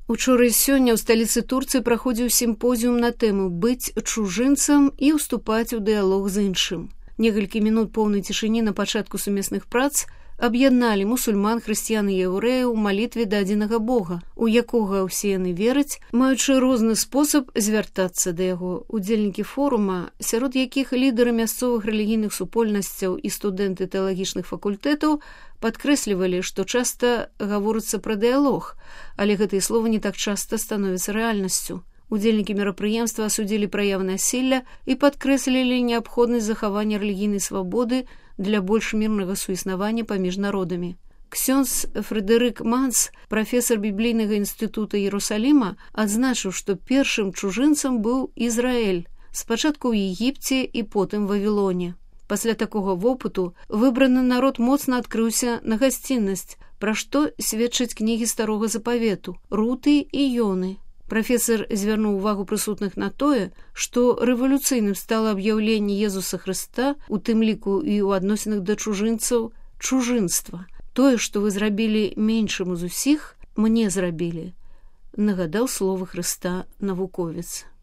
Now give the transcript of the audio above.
Учора і сёння ў сталіцы Турцыі праходзіў сімпозіум на тэму «Быць чужынцам і ўступаць у дыялог з іншым». Некалькі мінут поўнай цішыні на пачатку сумесных прац аб'ядналі мусульман, хрысціян і яўрэяў у малітве да адзінага Бога, у якога ўсе яны вераць, маючы розны спосаб звяртацца да яго. Удзельнікі форума, сярод якіх лідары мясцовых рэлігійных супольнасцяў і студэнты тэалагічных факультэтаў, падкрэслівалі, што часта гаворыцца пра дыялог, але гэтыя словы не так часта становяцца рэальнасцю. Удзельнікі мерапрыемства асудзілі праявы насілля і падкрэслілі неабходнасць захавання рэлігійнай свабоды для больш мірнага суіснавання паміж народамі. Ксёндз Фрэдэрык Манс, прафесар біблійнага інстытута Іерусаліма, адзначыў, што першым чужынцам быў Ізраэль, спачатку ў Егіпце і потым Вавілоне. Пасля такога вопыту выбраны народ моцна адкрыўся на гасціннасць, пра што сведчаць кнігі Старога Запавету, Руты і Ёны. Прафесар звярнуў увагу прысутных на тое, што рэвалюцыйным стала аб'яўленне Езуса Хрыста, у тым ліку і ў адносінах да чужынцаў, чужынства. Тое, што вы зрабілі меншым з усіх, мне зрабілі, нагадаў словы Хрыста навуковец.